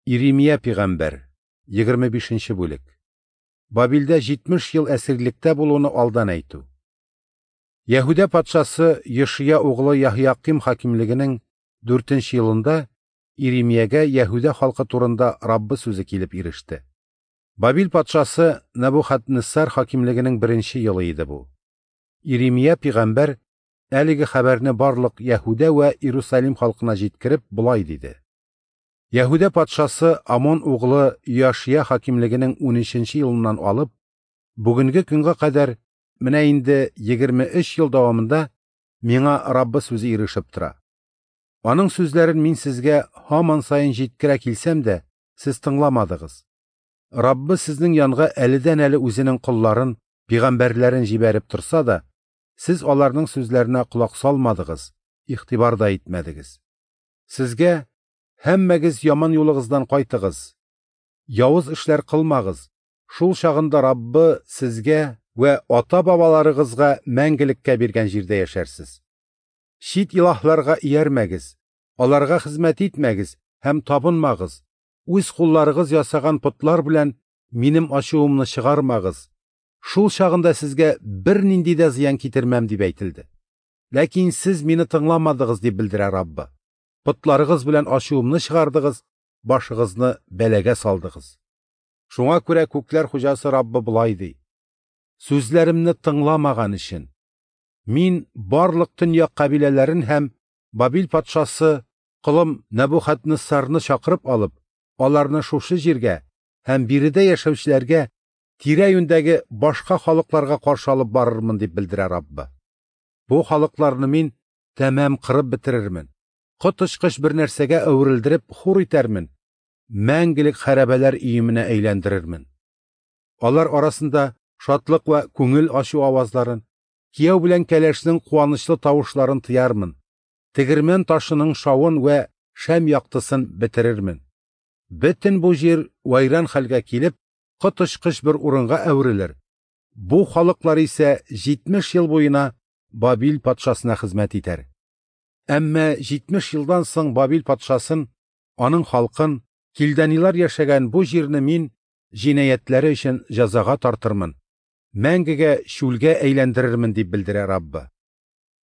Иремия пигамбәр, 25 нче бүлек. Бабилдә 70 ел әсирлектә булуны алдан әйтү. Яһүдә патшасы Йошия углы Яһияким хакимлегенең 4 нче елында Иремиягә Яһүдә халкы турында Раббы сүзе килеп иреште. Бабил патшасы Нәбухаднессар хакимлегенең беренче елы иде бу. Иремия пигамбәр әлеге хәбәрне барлык Яһүдә вә Иерусалим халкына җиткереп болай диде: Яһүдә патшасы Амон углы Йошия хакимлегенең 13 нче елыннан алып бүгенге көнгә кадәр менә инде 23 ел дәвамында миңа Раббы сүзе ирешеп тора. Аның сүзләрен мин сезгә һаман саен җиткерә килсәм дә, сез тыңламадыгыз. Раббы сезнең янга әледән-әле үзенең колларын, пигамбәрләрен җибәреп торса да, сез аларның сүзләренә колак салмадыгыз, игътибар да итмәдегез. Сезгә: "Һәммәгез яман юлыгыздан кайтыгыз, явыз эшләр кылмагыз. Шул чагында Раббы сезгә вә ата-бабаларыгызга мәңгелеккә биргән җирдә яшәрсез. Чит илаһларга иярмәгез, аларга хезмәт итмәгез һәм табынмагыз. Үз кулларыгыз ясаган потлар белән минем ачуымны чыгармагыз. Шул чагында сезгә бернинди дә зыян китермәм", дип әйтелде. Ләкин сез мине тыңламадыгыз, дип белдерә Раббы. Потларыгыз белән ачуымны чыгардыгыз, башыгызны бәлагә салдыгыз. Шуңа күрә күкләр хуҗасы Раббы болай ди: Сүзләремне тыңламаган өчен мин барлык төньяк кабиләләрен һәм Бабил патшасы колым Нәбухаднессарны чакырып алып, аларны шушы җиргә һәм биредә яшәүчеләргә тирә-юньдәге башка халыкларга каршы алып барырмын, дип белдерә Раббы. Бу халыкларны мин тәмам кырып бетерермен, коточкыч бер нәрсәгә әверелдереп хур итәрмен, мәңгелек хәрабәләр өеменә әйләндерермен. Алар арасында шатлык вә күңел ачу авазларын, кияү белән кәләшнең куанычлы тавышларын тыярмын, тегермән ташының шавын вә шәм яктысын бетерермен. Бөтен бу җир вайран хәлгә килеп, коточкыч бер урынга әверелер. Бу халыклар исә 70 ел буена Бабил патшасына хезмәт итәр. Әмма 70 елдан соң Бабил патшасын, аның халкын, килданилар яшәгән бу җирне мин җинаятьләре өчен җәзага тартырмын, мәңгегә чүлгә әйләндерермен, дип белдерә Раббы.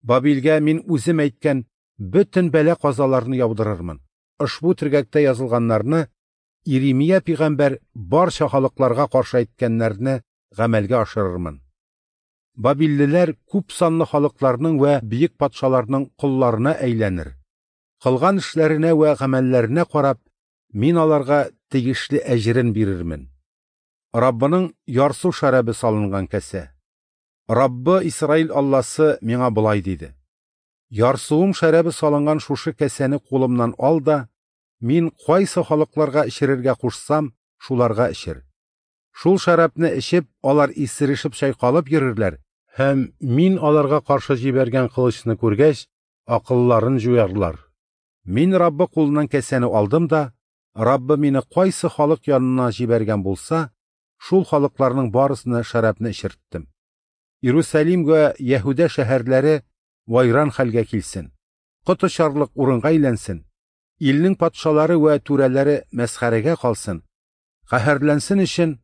Бабилгә мин үзем әйткән бөтен бәла-казаларны яудырырмын. Ошбу төргәктә язылганнарны Иремия пигамбәр барча халыкларга каршы әйткәннәрне гамәлгә ашырырмын. Бабиллеләр күп санлы халыкларның вә бөек патшаларның колларына әйләнер. Кылган эшләренә вә гамәлләренә карап, мин аларга тиешле әҗерен бирермен. Раббының ярсу шәрабы салынган кәсә. Раббы Исраил Алласы миңа болай диде: Ярсуым шәрабы салынган шушы кәсәне кулымнан ал да, мин кайсы халыкларга эчерергә кушсам, шуларга эчер. Шул шәрабны эчеп, алар исерешеп чайкалып йөрерләр һәм мин аларга каршы җибәргән кылычны күргәч, акылларын җуярлар. Мин Раббы кулыннан кәсәне алдым да, Раббы мине кайсы халык янына җибәргән булса, шул халыкларның барысына шәрабны эчерттем. Иерусалим вә Яһүдә шәһәрләре вайран хәлгә килсен, коточарлык урынга әйләнсен, илнең патшалары вә түрәләре мәсхәрәгә калсын, каһәрләнсен өчен,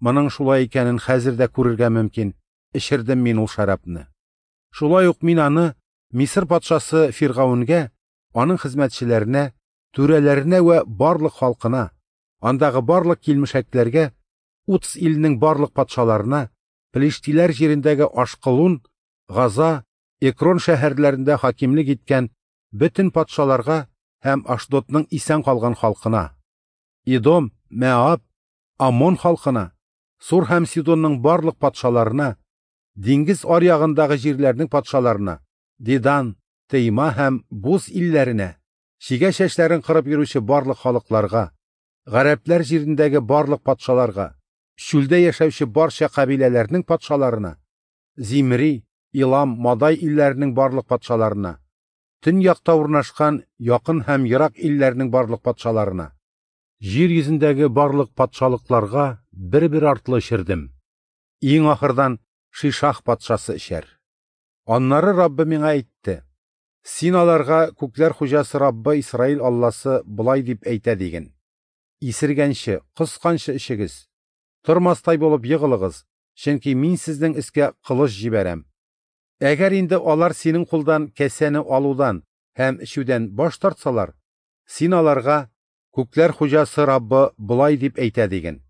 моның шулай икәнен хәзер дә күрергә мөмкин, эчердем мин ул шәрабны. Шулай ук мин аны Мисыр патшасы Фиргавенгә, аның хезмәтчеләренә, түрәләренә вә барлык халкына, андагы барлык килмешәкләргә, Уц илнең барлык патшаларына, Пелештиләр җирендәге Ашкалун, Газа, Экрон шәһәрләрендә хакимлек иткән бөтен патшаларга һәм Ашдодның исән калган халкына, Идом, Мәаб, Амон халкына, Сур һәм Сидонның барлык патшаларына, диңгез аръягындагы җирләрнең патшаларына, Дидан, Тейма һәм Буз илләренә, чигә чәчләрен кырып йөрүче барлык халыкларга, гарәпләр җирендәге барлык патшаларга, чүлдә яшәүче барча кабиләләрнең патшаларына, Зимри, Илам, Мадай илләренең барлык патшаларына, төньякта урнашкан якын һәм ерак илләрнең барлык патшаларына, җир йөзендәге барлык патшалыкларга бер-бер артлы эчердем. Иң ахырдан Шишах патшасы эчәр. Аннары Раббы миңа әйтте: Син аларга күкләр хуҗасы Раббы Исраил Алласы болай дип әйтә диген: Исергәнче, косканчы эчегез. Тормастай булып егылыгыз, чөнки Мин сезнең өскә кылыч җибәрәм. Әгәр инде алар синең кулдан касәне алудан һәм эчүдән баш тартсалар, син аларга: Күкләр Хуҗасы Раббы болай дип әйтә диген: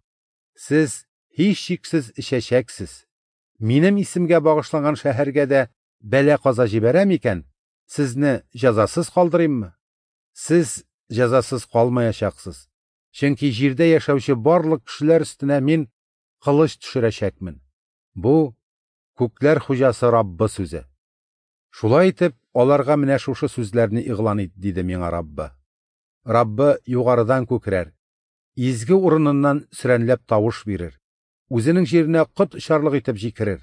Сез һичшиксез эчәчәксез. Минем исемгә багышланган шәһәргә дә бәла-каза җибәрәм икән, сезне җәзасыз калдырыйммы? Сез җәзасыз калмаячаксыз. Чөнки җирдә яшәүче барлык кешеләр өстенә Мин кылыч төшерәчәкмен. Бу Күкләр Хуҗасы Раббы сүзе. Шулай итеп, аларга менә шушы сүзләрне игълан ит, диде миңа Раббы. Раббы югарыдан күкрәр, изге урыныннан сөрәнләп тавыш бирер, үзенең җиренә кот очарлык итеп җикерер,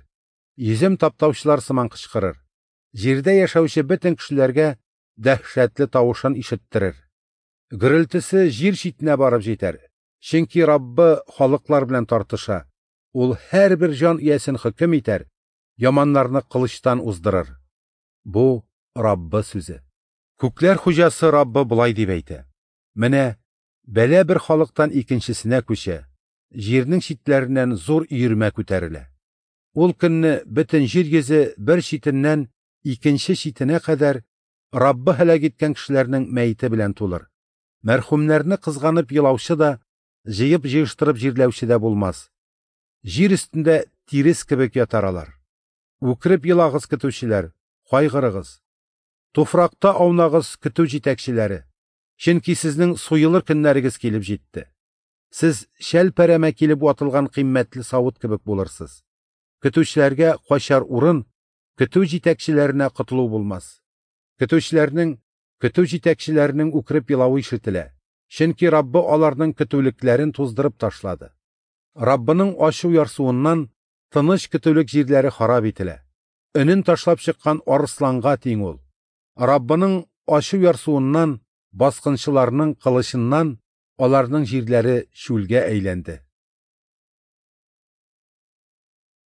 йөзем таптаучылар сыман кычкырыр, җирдә яшәүче бөтен кешеләргә дәһшәтле тавышын ишеттерер. Гөрелтесе җир читенә барып җитәр, чөнки Раббы халыклар белән тартыша, ул һәрбер җан иясен хөкем итәр, яманнарны кылычтан уздырыр. Бу Раббы сүзе. Күкләр Хуҗасы Раббы болай дип әйтә: Менә бәла бер халыктан икенчесенә күчә, җирнең читләреннән зур өермә күтәрелә. Ул көнне бөтен җир йөзе бер читеннән икенче читенә кадәр Раббы һәлак иткән кешеләрнең мәете белән тулыр. Мәрхүмнәрне кызганып елаучы да, җыеп җыештырып җирләүче дә булмас. Җир өстендә тирес кебек ятар алар. Үкереп елагыз, көтүчеләр, кайгырыгыз. Туфракта аунагыз, көтү җитәкчеләре, чөнки сезнең суелыр көннәрегез килеп җитте. Сез шәлпәрәмә килеп ватылган кыйммәтле савыт кебек булырсыз. Көтүчеләргә качар урын, көтү җитәкчеләренә котылу булмас. Көтүчеләрнең, көтү җитәкчеләренең үкереп елавы ишетелә, чөнки Раббы аларның көтүлекләрен туздырып ташлады. Раббының ачу ярсуыннан тыныч көтүлек җирләре харап ителә. Өнен ташлап чыккан арысланга тиң ул. Раббының ачу ярсуыннан, баскынчыларның кылычыннан аларның җирләре чүлгә әйләнде.